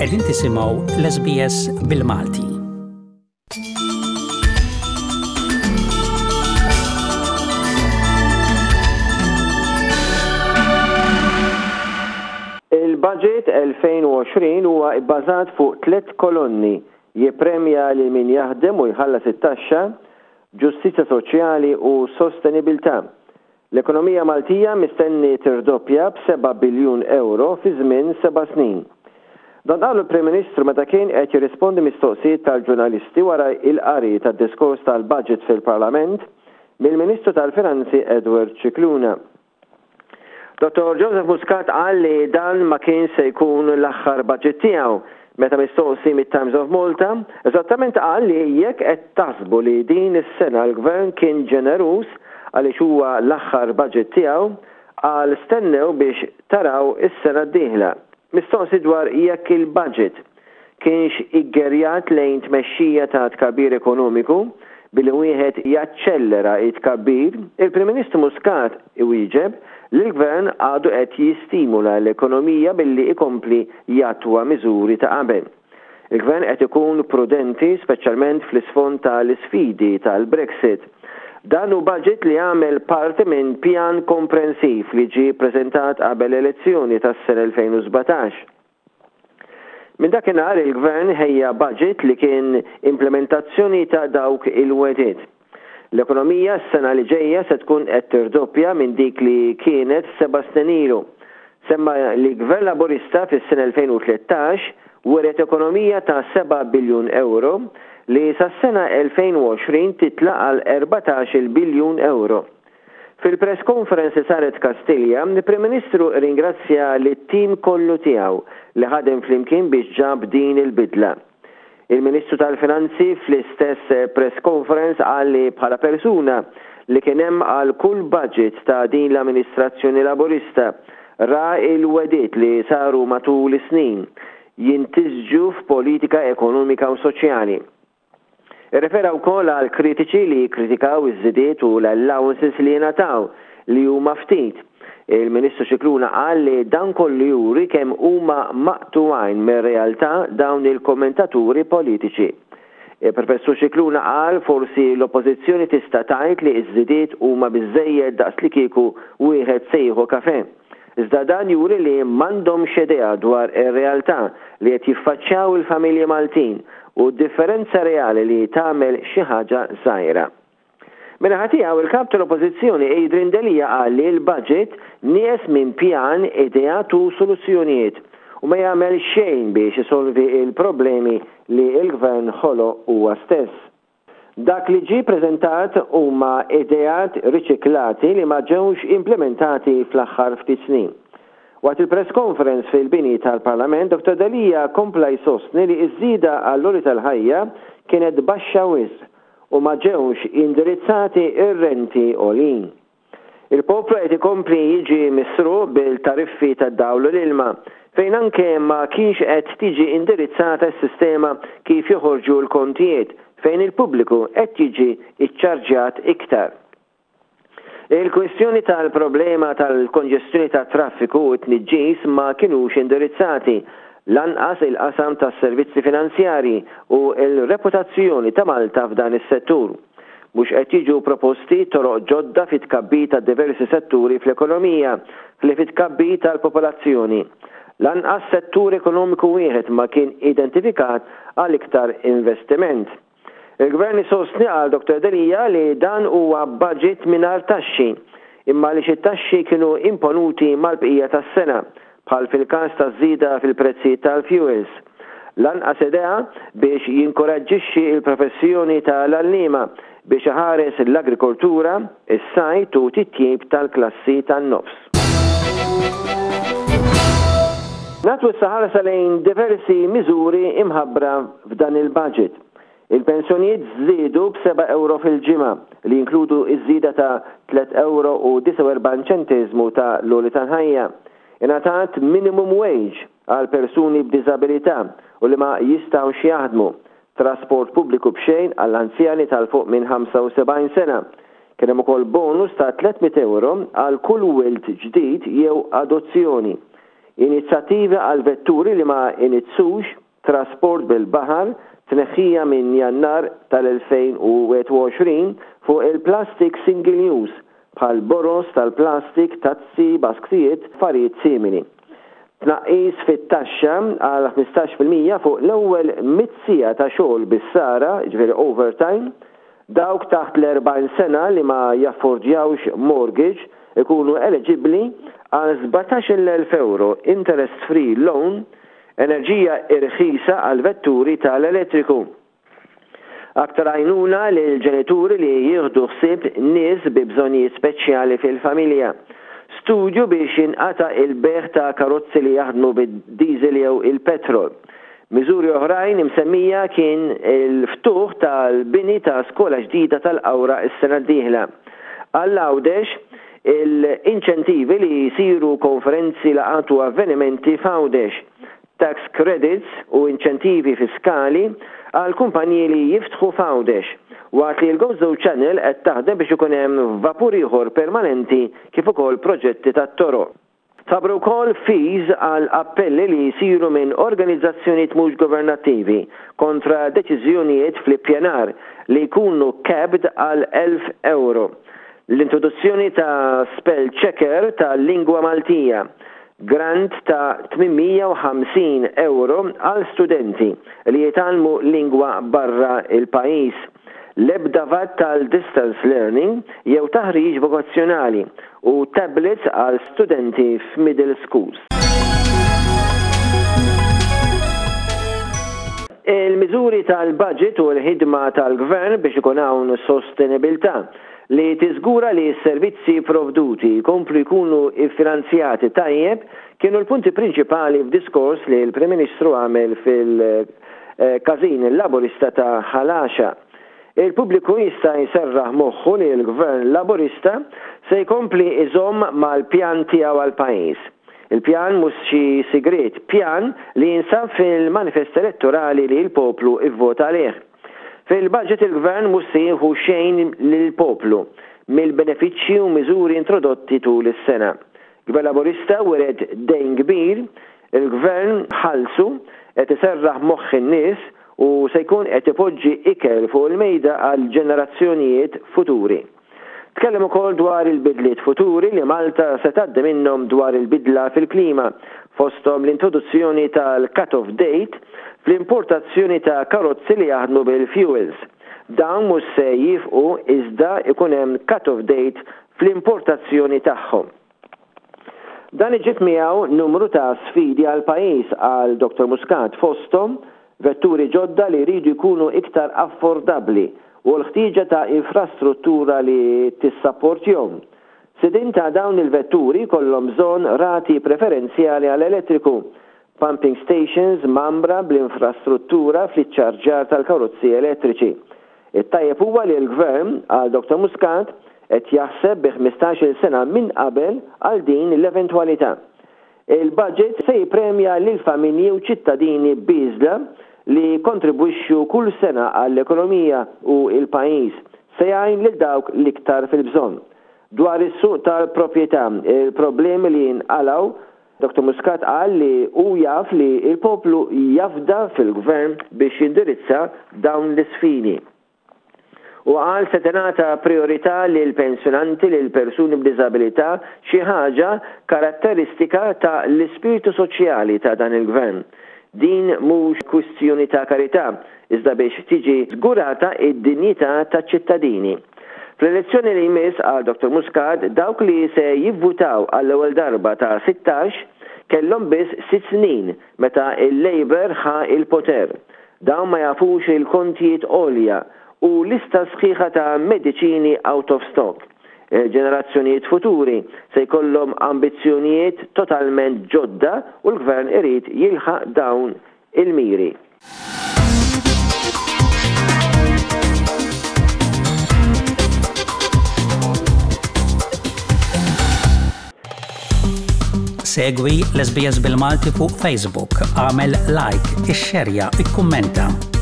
Qegħdin tisimgħu l-SBS bil-Malti. Il-Budget 2020 huwa bbażat fuq tliet kolonni, jippremja lil min jaħdem u jħallas it-taxxa, ġustizzja soċjali u sostenibilità. L-ekonomija Maltija mistenni tirdoppja b'seba' biljun ewro fi żmien seba' snin. Dan qalu l-Prim Ministru meta kien qed jirrispondi mistoqsijiet tal-ġurnalisti wara l-qari tad-diskors tal-Budget fil-Parlament mill-Ministru tal-Finanzi Edward Scicluna. Dottor Joseph Muscat qal li dan ma kienx se jkun l-aħħar budget tiegħu. Meta mistoqsi mit-Times of Malta, eżattament qal li jekk qed taħsbu li din is-sena l-Gvern kien ġeneruż għaliex huwa l-aħħar budget tiegħu, qal stennew biex taraw is-sena d-dieħla. Mistoqsi dwar jekk il-budget kienx iggerjat lejn tmexxija ta' tkabbir ekonomiku billi wieħed jaċċellera t-tkabbir, il-Prim Ministru Muscat iwieġeb li l-Gvern għadu qed jistimula l-ekonomija billi ikompli jattwa miżuri ta' qabel. Il-Gvern qed ikun prudenti speċjalment fl-isfond ta' l-isfidi tal-Brexit. Dan hu budget li jagħmel parti minn pjan komprensiv li ġie ppreżentat qabel l-elezzjoni tas-sena 2017. Minn dakinhar il-Gvern ħejja budget li kien implementazzjoni ta' dawk il-wegħdiet. L-ekonomija s-sena li ġejja se tkun qed tirdoppja minn dik li kienet seba' snin ilu. Semma li Gvern Laburista fis-sena 2013 wiret ekonomija ta' seba' biljun ewro li sas-sena 2020 titla' għal 14-il biljun ewro. Fil-press conference li saret Kastilja, il-Prim Ministru rringrazzja lit-tim kollu tiegħu li ħadem flimkien biex ġab din il-bidla. Il-Ministru tal-Finanzi fl-istess press conference qal li bħala persuna li kien hemm għal kull budget ta' din l-amministrazzjoni Laburista, ra l-wegħdiet li saru matul is-snin jintisġu f'politika ekonomika u soċjali. Irrefera wkoll għal kritiċi li jikkritikaw iż-żidiet u l-allowances li jingħataw, li huma ftit. Il-Ministru Scicluna qal li dan kollu juri kemm huma maqtugħin mir-realtà dawn il-kommentaturi politiċi. Il-Professur Scicluna qal forsi l-Oppożizzjoni tista' tgħid li ż-żidiet huma biżżejjed daqslikieku wieħed se jieħu kafè. Iżda dan juri li m'għandhomx idea dwar ir-realtà li qed jiffaċċjaw il-familji Maltin u d-differenza reali li tagħmel xi ħaġa żgħira. Min-naħa tiegħu, il-Kap tal-Oppożizzjoni Adrian Delia qal li l-budget nieqes minn pjan, ideat u soluzzjonijiet u ma jagħmel xejn biex isolvi l-problemi li l-Gvern ħoloq huwa stess. Dak li ġie preżentat huma ideat riċiklati li ma ġewx implimentati fl-aħħar ftit snin. Waqt il-press conference fil-bini tal-Parlament, Dottor Delia kompla jsostni li ż-żieda għall-għoli tal-ħajja kienet baxxa wisq u ma ġewx indirizzati r-renti għoljin. Il-poplu qed ikompli jiġi misruq bil-tariffi tad-dawl u l-ilma, fejn anke ma kienx qed tiġi indirizzata s-sistema kif joħorġu l-kontijiet, fejn il-pubbliku qed jiġi ċċarġjat iktar. Il-kwistjoni tal-problema tal-konġestjoni tat-traffiku u t-tniġġis ma kinux indirizzati, lanqas il-qasam tas-servizzi finanzjarji u l-reputazzjoni ta' Malta f'dan is-settur. Mhux qed jiġu proposti toroq ġodda fit-tkabbir ta' diversi setturi fl-ekonomija, ħlief it-tkabbir tal-popolazzjoni. Lanqas settur ekonomiku wieħed ma kien identifikat għal iktar investiment. Il-Gvern isostni, qal Dottor Delia, li dan huwa budget mingħajr taxxi, imma għaliex it-taxxi kienu imponuti mal-bqija tas-sena, bħal fil-każ taż-żieda fil-prezzijiet tal-fjuwils. Lanqas idea biex jinkoraġġixxi l-professjoni ta' l-għalliema biex iħares l-agrikoltura, is-sajd u titjib tal-klassi tan-nofs. Nagħtu issa ħarsa lejn diversi miżuri imħabbra f'dan il-budget. Il-pensjonijiet żdiedu b'seba' ewro fil-ġimgħa, li jinkludu ż-żieda ta' tlett ewro u 49 ċenteżmu ta' l-għoli tal-ħajja. Ingħatat minimum wage għal persuni b'diżabilità u li ma jistgħux jaħdmu, trasport pubbliku b'xejn għall-anzjani ta' 'l fuq minn 75 sena. Kien hemm ukoll bonus ta' 300 ewro għal kull wild ġdid jew adozzjoni. Inizjattivi għal vetturi li ma iniġġsux, trasport bil-baħar, tneħħija minn Jannar tal-2021 fuq il-plastik single use bħal boroż tal-plastik, tazzi, basktijiet, affarijiet simili. Tnaqqis fit-taxxa għal 15% fuq l-ewwel mitt siegħa ta' xogħol bis-sara, jiġifieri overtime, Dawk taħt l-40 sena li ma jaffordjawx mortgage ikunu eliġibbli għal 17,000 ewro interest free loan, enerġija irħisa għal vetturi tal-elettriku. Aktar għajnuna lil ġenituri li jieħdu ħsieb nies bi bżonnijiet speċjali fil-familja. Studju biex jinqata' il-bejgħ ta' karozzi li jaħdmu bid-diesel jew il-petrol. Miżuri oħrajn imsemmija kien il-ftuħ tal-bini ta' skola ġdida tal-Qawra s-sena d-dieħla. Għal Għawdex, il-inċentivi li jsiru konferenzi, laqgħat u avvenimenti f'Għawdex, tax credits u inċentivi fiskali għal kumpaniji li jiftħu f'Għawdex, waqt li l-Gozo Channel qed taħdem biex ikun hemm vapur ieħor permanenti kif ukoll proġetti tat-toroq. Tħabbru wkoll fees għal appelli li jsiru minn organizzazzjonijiet mhux governattivi kontra deċiżjonijiet fl-ippjanar li jkunu capped għal 1,000 ewro. L-introduzzjoni ta' spell checker tal-lingwa Maltija, grant ta' 850 ewro għal studenti li jitgħallmu lingwa barra l-pajjiż. L-ebda vat għal distance learning jew taħriġ vokazzjonali u tablets għal studenti f'middle schools. Il-miżuri tal-budget u l-ħidma tal-Gvern biex ikun hawn sostenibilità li tiżgura li s-servizzi provduti jkomplu jkunu ffinanzjati tajjeb kienu l-punti prinċipali f'diskors li l-Prim Ministru għamel fil Każin Laburista ta' Ħal Għaxaq. Il-pubbliku jista' jserraħ moħħu li l-Gvern Laburista se jkompli jżomm mal-pjan tiegħu għall-pajjiż. Il-pjan mhux xi sigriet, pjan li jinsab fil-manifest elettorali li l-poplu vvota għalih. Fil-budget il-Gvern mhux se jieħu xejn lill-poplu mill-benefiċċji u miżuri introdotti tul is-sena. Gvern Laburista wiret dejn kbir, il-Gvern ħallsu, qed iserraħ moħħ in-nies u se jkun qed ipoġġi ikel fuq il-mejda għal ġenerazzjonijiet futuri. Tkellem ukoll dwar il-bidliet futuri li Malta se tgħaddi minnhom dwar il-bidla fil-klima, fosthom l-introduzzjoni tal-cut-off date fl-importazzjoni ta' karozzi li jaħdmu bil-fuels. Dawn mhux se jiefqu iżda jkun hemm cut-off date fl-importazzjoni tagħhom. Dan iġib miegħu numru ta' sfidi għall-pajjiż, qal Dottor Muscat, fosthom vetturi ġodda li jridu jkunu iktar affordabbli u l-ħtieġa ta' infrastruttura li tissapportjhom. Sidien ta' dawn il-vetturi jkollhom bżonn rati preferenzjali għall-elettriku, pumping stations mgħammra bl-infrastruttura fl-iċċarġjar tal-karozzi elettriċi. It-tajjeb huwa li l-Gvern, qal Dottor Muscat, qed jaħseb bi 15-il sena minn qabel għal din l-eventwalità. Il-budget se jippremja lill-familji u ċittadini bieżla li jikkontribwixxu kull sena għall-ekonomija u l-pajjiż. Se jgħin lil dawk l-iktar fil-bżonn. Dwar is-suq tal-proprjetà, il-problemi li jinqalgħu, Dottor Muscat qal li hu jaf li l-poplu jafda fil-Gvern biex jindirizza dawn l-isfidi. Huwa qal se tingħata prijorità lill-pensjonanti, lill-persuni b'diżabilità, xi ħaġa karatteristika ta' l-ispirtu soċjali ta' dan il-Gvern. Din mhux kwistjoni ta' karità, iżda biex tiġi żgurata d-dinjità taċ-ċittadini. Fl-elezzjoni li jmiss, qal Dottor Muscat, dawk li se jivvutaw għall-ewwel darba ta' 16 kellhom biss sitt snin meta l-Labour ħa l-poter. Dawn ma jafux il-kontijiet għolja u lista sħiħa ta' mediċini out of stock. Il-ġenerazzjonijiet futuri se jkollhom ambizzjonijiet totalment ġodda u l-Gvern irid jilħaq dawn il-miri. Segwi l-SBS bil-Malti fuq Facebook, għamel like, ixxerja, ikkummenta.